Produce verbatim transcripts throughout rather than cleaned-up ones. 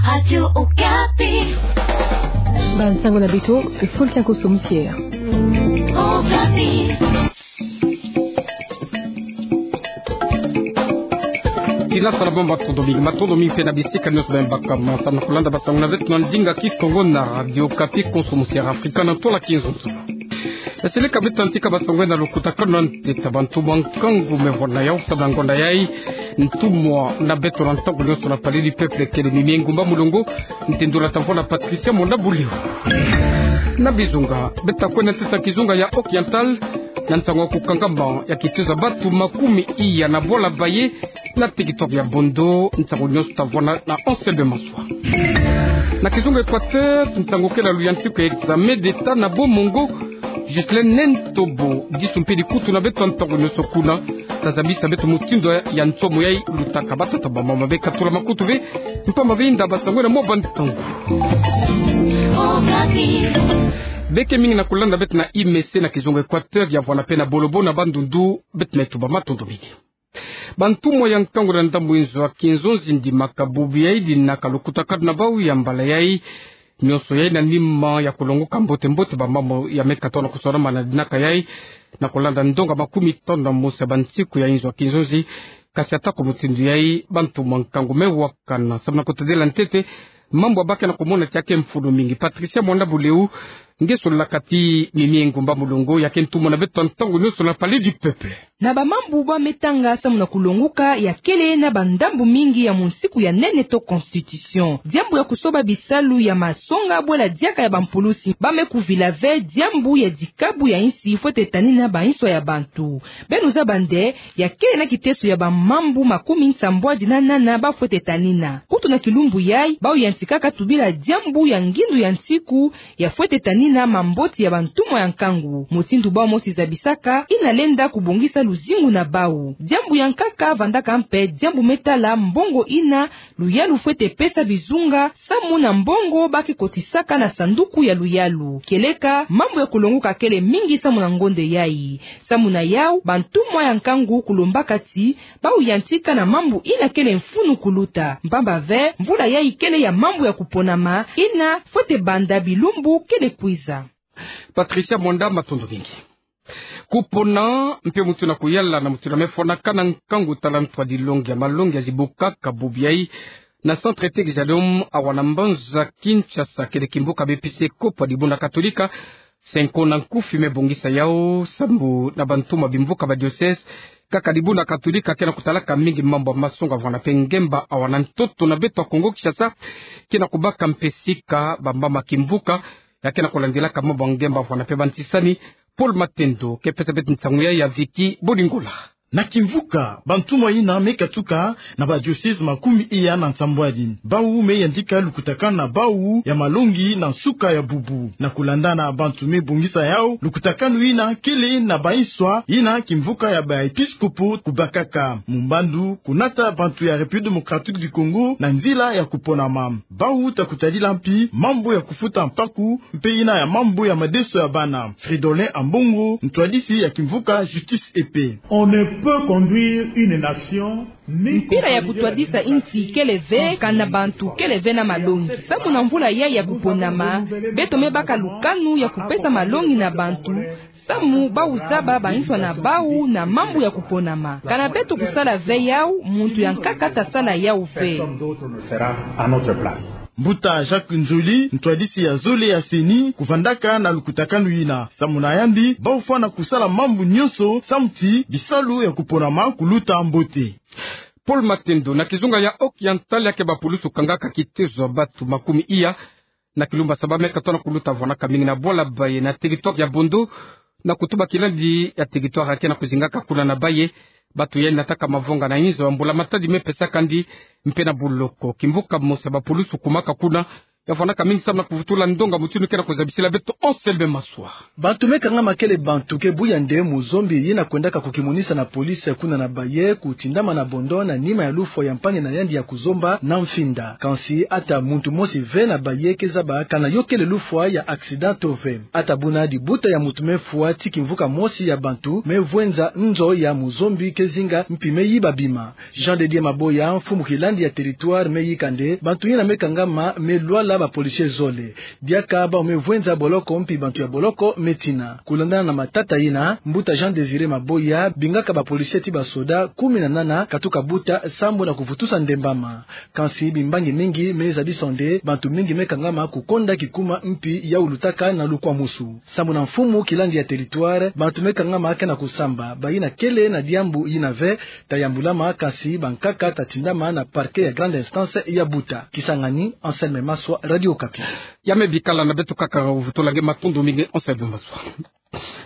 Radio Okapi. Bansango na beto, Fulkia Koso Musier. Okapi. Tina sala bamba matondo mingi, matondo mingi mpe na bisika nyonso beno baka ma samu na kulanda bansango na beto na ndinga Kikongo na Radio Okapi, Konso Musier Afrika na tola kinzonzolo. Esele ka beto antika bansango na lukutakanu na ntete. Bantumwa nkangu me vwana yau samu na ngonda yai. Ntumwa na beto na ntangu nyonso na Palais du Peuple kele Mimie Ngumba Mulongo, ntindula ta vwana Patricia Mwanda Buleu. Na bizunga, beto ta kwenda ntete na kizunga ya Oriental, na nsangu ya kukangama ya kitezo ya bantu makumi iya na bwala baye na territoire ya Bondo, nsangu nyonso ta vwanda na Anselme Maswa. Na kizunga Equateur, nsangu kele ya luyantiku ya examen d'État na Bas-Mongo, Ghislain Nentobo, disu mpe dikutu na beto ntangu nyonso kuna, ta zabisa beto mutindu ya nsomo yai lutaka. Batata, bamama, beka tula makutu ve, mpamba ve nda bansango na mwa bantangu. Beke mingi na kulanda beto na I M C na kizunga Equateur, ya vwanda mpe na Bolobo na Bandundu, beto me tuba matondo mingi. Bantumwa ya nkangu na ndambu inzo ya kinzonzi ndimaka bubu yai dinaka lukutakanu na bau ya mbala yai. Nyonso yai na nima ya kulongoka mbote-mbote bamambu ya meka tona kusolamana na dinaka yai, na kulanda ndonga makumi tanu na mosi ya bansiku ya inzo ya kinzonzi. Kasi atako mutindu yai, bantumwa nkangu me wakana samu na kutadila ntete mambu ya bake na kumona ti ya ke mfunu mingi. Patricia Mwanda Buleu, nge sololaka ti Mimie Ngumba Mulongo, ya ke ntumwa na beto ntangu nyonso na Palais du Peuple. Na bamambu bwa me tanga samu na kulongoka, ya kele na bandambu mingi ya monsiku ya nene to constitution. Diambu ya kusoba bisalu ya masonga bwela diaka ya bampulusi, ba me kuvila ve diambu ya dikabu ya insi fwete tanina bainso ya bantu. Beno zaba nde, ya kele na kiteso ya bamambu makumi nsambwadi na nana ba fwete tanina. Kutu na kilumbu yai, bau yantikaka tubila diambu ya ngindu ya nsiku, ya fwete tanina mamboti ya bantumwa ya nkangu. Mutindu bau mosi zabisaka, ina lenda kubongisa luzingu na bau. Diambu ya nkaka vandaka mpe diambu me tala mbongo ina luyalu fwete pesa bizunga, samu na mbongo ba ke kotisaka na sanduku ya luyalu. Kieleka, mambu ya kulongoka kele mingi samu na ngonde yai. Samu na yau, bantumwa ya nkangu kulombaka ti bau yantika na mambu ina kele mfunu kuluta. Mpamba ve, mvula yai kele ya mambu ya kuponama, ina fwete banda bilumbu kele kwiza. Patricia Mwanda, matondo mingi. Kupona, mpe mutu na kuyala na mutu na me fwanakana nkangu tala ntwadilongi ya malongi ya zibukaka bubu yai na Centre Texalium awa na mbanza Kinshasa, kele kimvuka b'Episikopo ya Dibundu Katolika, se nko na nkufi me bongisa yau, sambu na bantumwa bimvuka ba diocèse, kaka Dibundu Katolika ke na kutalaka mingi mambu ya masonga vwanda mpe ngemba awa na ntoto na beto ya Kongo Kinshasa, ke na kubaka mpe sika bamama kimvuka ya ke na kulandilaka mambu ya ngemba vwanda mpe bantisani. Paul Matendo ke pesa beto nsangu yai ya Vicky Bolingola. Na kimvuka, bantumwa ina me katuka na ba diocèse makumi iya na nsambwadi. Bau me yantika lukutakanu na bau ya malongi na nsuka ya bubu. Na kulandana bantu me bongisa yau, lukutakanu ina kele na bainswa ina kimvuka ya ba episikopo kubakaka. Mumbandu kunata bantu ya République Démocratique du Congo na nzila ya kuponama. Bau ta kutadila mpi mambu ya kufuta mpaku, mpe ina ya mambu ya madeso ya bana. Fridolin Ambongo, ntwadisi ya kimvuka Justice et Paix. On ne peut conduire une nation ni... Mpila ya kutwadisa insi kele ve, kana bantu kele ve na malongi. Samu na mvula yai ya kuponama, beto me baka lukanu ya kupesa malongi na bantu, samu bau zaba bainswa na bau na mambu ya kuponama. Kana beto kusala ve yau, muntu ya nkaka ta sala yau ve. Mbuta Jacques Nzoli, ntwadisi ya zole ya CENI, kuvandaka na lukutakanu ina. Samu na yandi, bau fwana kusala mambu nyonso, samu ti bisalu ya kuponama kuluta mbote. Paul Matendo, na kizunga ya Oriental ya ke bapulusu kangaka kitezo ya bantu makumi iya na kilumbu ya saba me katono kuluta vwanaka mingi na bwala baye na territoire ya Bondo, na kutuba kilandi ya territoire ya ke na kuzingaka kuna na baye. Bantu yai nataka mavonga na inzo ya mbula-matadi me pesaka ndi mpe na boloko. Kimvuka mosi ya bapulusu kumaka kuna Ya vwandaka mingi samu na kuvutula ndonga mutindu ke na kuzabisila beto Anselme Maswa. Bantu me kangama kele bantu ke buya nde muzombi yina kwendaka kukimonisa na police kuna na Baye, kutindama na bondo na nima ya lufwa ya mpangi na yandi ya kuzomba na mfinda. Kansi ata muntu mosi ve na Baye ke zaba kana yo kele lufwa ya accident to ve. Ata buna dibuta ya muntu me fwa ti kimvuka mosi ya bantu me vwenza nzo ya muzombi ke zinga mpi me yiba bima. Jean de Dieu Maboya, mfumu kilandi ya territoire, me yika nde bantu yina me kangama me lwala ba policiers zole. Diaka bau me vwenza boloko mpi bantu ya boloko me tina. Kulandana na matata yina, mbuta Jean Désiré Maboya bingaka ba policiers ti ba soda kumi na nana katuka buta sambu na kuvutusa ndembama. Kansi bimbangi mingi me zabisa nde bantu mingi me kangama kukonda kikuma mpi ya ulutaka na lukwamusu. Sambu na mfumu kilandi ya territoire, bantu me kangama ke na kusamba, bayina kele na diambu yina ve ta yambulama, kansi bankaka ta tindama na parquet ya grande instance ya Buta. Kisangani, Anselme Maswa, Radio Okapi. Ya me bikala na beto kaka, vutula nge matondo mingi Anselme Maswa.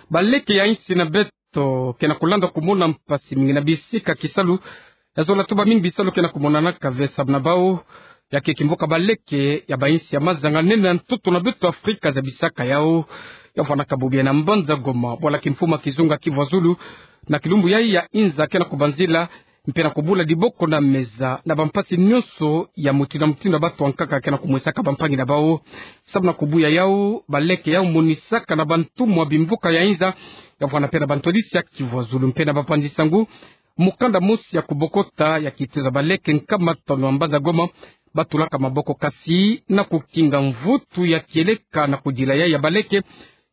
Baleke ya insi na beto ke na kulanda kumona mpasi mingi na bisika kisalu ya zola, to ba mingi bisalu ke na kumonanaka ve samu na bau ya ke kimvuka baleke ya ba insi ya mazanga nene ya ntoto na beto Afrika zabisaka yau. Ya vwandaka bubu ya na mbanza Goma, bwala kimfumu ya kizunga Kivu ya Zulu, na kilumbu yai ya inza ke na kubanzila mpe na kubula diboko na meza na bampasi nyonso ya mutindu na mutindu ya batu ya nkaka ke na kumwesaka bampangi na bau. Samu na kubuya yau, baleke yau monisaka na bantumwa bimvuka ya inza, ya vwanda mpe na bantwadisi ya Kivu ya Zulu mpe na bapanzi sangu mukanda mosi ya kubokota ya kituza baleke nkama tanu ya mbanza Goma batulaka maboko, kasi na kukinga mvutu ya kieleka na kudila yai ya baleke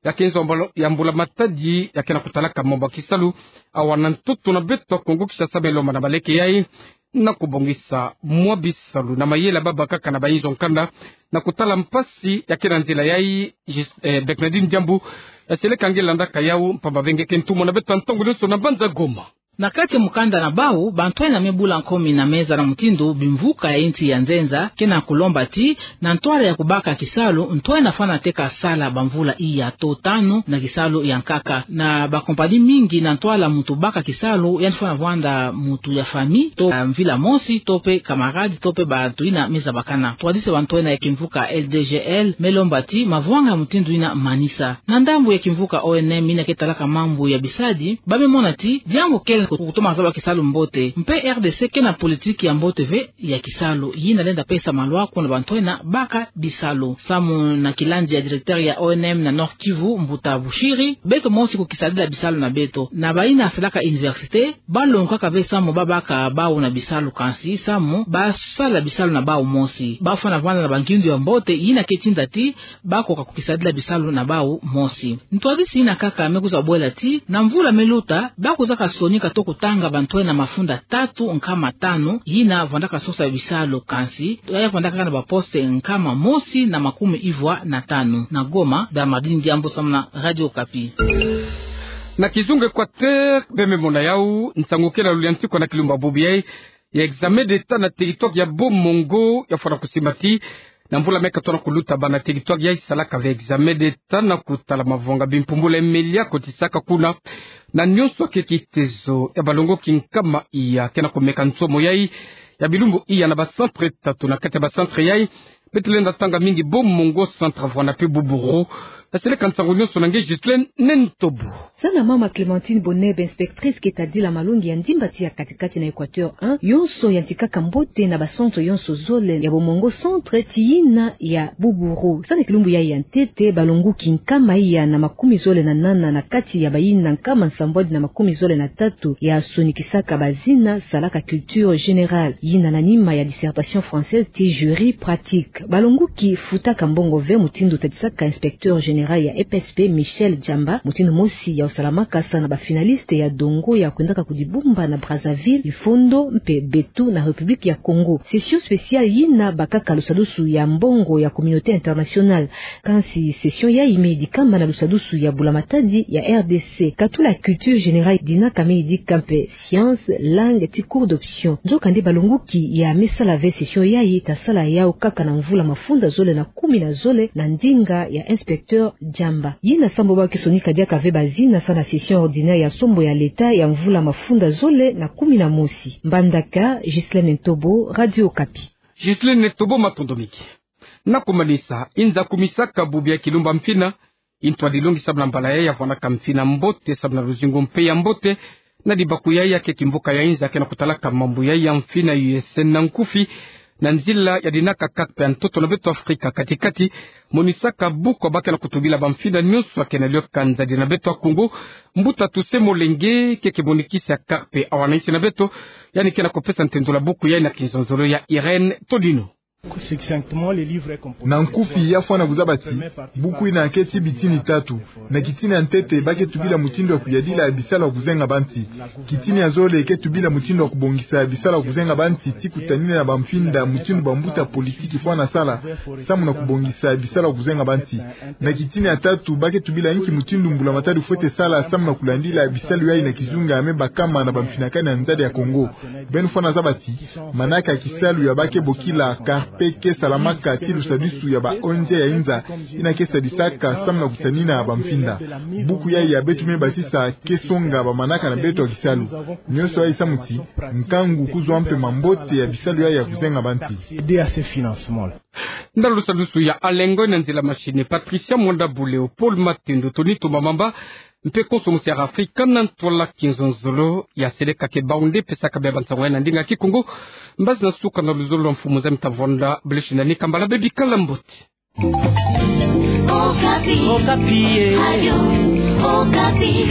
ya kenzo ya mbula, ya mbula matadi ya ke na kutalaka mambu ya kisalu. Awa na ntoto na beto Kongo Kinshasa me lomba na baleke yai na kubongisa mwa bisalu na mayela babakaka na bayinzo nkanda na kutala mpasi ya ke na nzila yai. Jis-, eh, Bernardine Diambu, eh, seleka nge landaka yau, mpamba ve nge ke ntumwa na beto ntangu nyonso na mbanza Goma. Na kati ya mukanda na bau, bantwenia me bula nkomi na meza na mutindu bimvuka ya insi ya nzenza ke na kulomba ti, na ntwala ya kubaka kisalu, ntwenia fwana teka sala bamvula iya to tanu na kisalu ya nkaka. Na bakompani mingi, na ntwala muntu baka kisalu, yandi fwana vwanda muntu ya famille, to, ah, mvila mosi, to mpe camarade, to mpe bantu yina me zabakana. Twadisi bantwenia ya kimvuka L D G L me lomba ti mavwanga ya mutindu yina manisa. Na ndambu ya kimvuka O N M yina ke talaka mambu ya bisadi, ba me mona ti diambu kele kutoma zaba kisalu mbote. Mpe R D C ke na politique ya mbote ve ya kisalu, yina lenda pesa malwa kuna bantwenia baka bisalu. Samu na kilandi ya directeur ya O N M na Nord-Kivu, mbuta Bushiri, beto mosi kukisadila bisalu na beto. Na bayina salaka université, balongokaka ve samu babaka bau na bisalu, kansi samu basala bisalu na bau mosi. Bafwana vwanda na bangindu ya mbote yina ke tinda ti bakoka kukisadila bisalu na bau mosi. Ntwadisi yina kaka me kwiza bwela ti, na mvula me luta, bakuzaka sonika to kutanga bantwenia mafunda tatu nkama tanu yina vwandaka sosa bisalu, kansi ya vwandaka na baposte nkama mosi na makumi ivwa na tanu. Na Goma, Bernardine Diambu samu na Radio Okapi. Na kizunga Équateur, be me mona yau, nsangu kele ya luliantikwa na kilumbu ya bubu yai, ya examen d'État na territoire ya Bas-Mongo ya fwana kusimbati. Na mvula me katona kuluta, bana territoire yai salaka ve examen d'État na kutala mavwanga bimpumbula ya melia kotisaka kuna. Na nyonso ke kitezo ya balongoki nkama iya ke na kumeka nsomo yai ya bilumbu iya na ba centre tatu. Na kati ya ba centre yai, beto lenda tanga mingi Bas-Mongo centre, vwanda mpe Boubourou. Naseleka nsangu nyonso na nge Ghislaine Nentobo. Sana mama Clémentine Boneb, inspectrice ke tadila malongi ya ndimba ti ya katikati na Équateur un, yonso yantikaka mbote na ba centre yonso zole ya Bas-Mongo centre ti yina ya Boubourou. Sana kilumbu yai ya ntete, balongoki nkama iya na makumi zole na nana na kati ya bayina nkama nsambwadi na makumi zole na tatu ya sonikisaka bazina salaka culture générale, yina na nima ya dissertation française ti jury pratique. Balongoki futaka mbongo ve, mutindu tadisaka inspecteur général ya E P S P Michel Djamba, mutindu mosi ya osalamaka sana ba finalistes ya dongo ya kwendaka kudibumba na Brazzaville, Ifondo mpe Betou na République ya Congo. Session spéciale yina bakaka lusadusu ya mbongo ya communauté internationale. Kansi session yai me yidikama na lusadusu ya bula-matadi ya R D C. Katula culture générale, dinaka me yidika mpe science, langue, ti cours d'option. Nzokande balongoki ya me sala ve session yai ta sala yau kaka na mvula mafunda zole na kumi na zole na ndinga ya inspecteur Djamba. Yina sambu ba ke sonika diaka ve bazina sana session ordinaire ya sombo ya l'État ya mvula mafunda zole na kumi na mosi. Mbandaka, Ghislaine Ntobo, Radio Okapi. Ghislaine Ntobo, matondo mingi. Na kumanisa, inza kumisaka bubu ya Kilumba Mfina, intu a dilongi samu na mbala yai ya vwanaka mfina mbote, samu na luzingu mpe ya mbote, na dibaku yai ya keke mbuka ya inza ke na kutalaka mambu yai ya mfina U S N na nkufi, na nzila ya dinaka karpe ya ntoto na beto Afrika kati-kati, monisaka buku ya ba ke na kutubila bamfina nionso ya ke na lioka nzadi na beto ya Kongo, Mbuta Toussaint Molenge, keke monikisi ya karpe ya wana insi na beto, yandi ke na kupesa ntendolo ya buku yai na kinzonzolo ya Irène Todino. Na nkufi ya fwana kuzaba ti, buku yina ke ti bitini tatu. Na kitini ya ntete ba ke tubila mutindu ya kuyadila bisalu ya kuzenga bansi. Kitini ya zole ke tubila mutindu ya kubongisa bisalu ya kuzenga bansi, ti kutanina na bamfinda mutindu bambuta politiki fwana sala, samu na kubongisa bisalu ya kuzenga bansi. Na kitini ya tatu ba ke tubila inki mutindu mbula matadi fwete sala, samu na kulandila bisalu yai na kizunga ya me bakama na bamfinakani ya nzadi ya Kongo. Beno fwana zaba ti, manaka ya kisalu ya ba ke bokila karpe ke salamaka ti lusadisu ya ba O N G ya inza, yina ke sadisaka samu na kutanina bamfinda. Buku yai ya beto me basisa ke songa bamanaka na beto ya kisalu. Nionso yai samu ti, nkangu kuzwa mpe mambote ya bisalu yai ya kuzenga bansi. Nda lusadisu ya Alengo na nzila machine, Patricia Mwanda Buleo, Paul Matendo, Tony Tumba Mamba, mpe konso musi ya Afrika na ntwala kinzonzolo ya seleka ke bawu nde pesaka bia bansango yai na ndinga Kikongo. Mbazi na suka na luzolo lwa mfumu za mita vonda, beleshi na nika mbala bebi kala mbote. Okapi. Okapi, eh. Radio Okapi.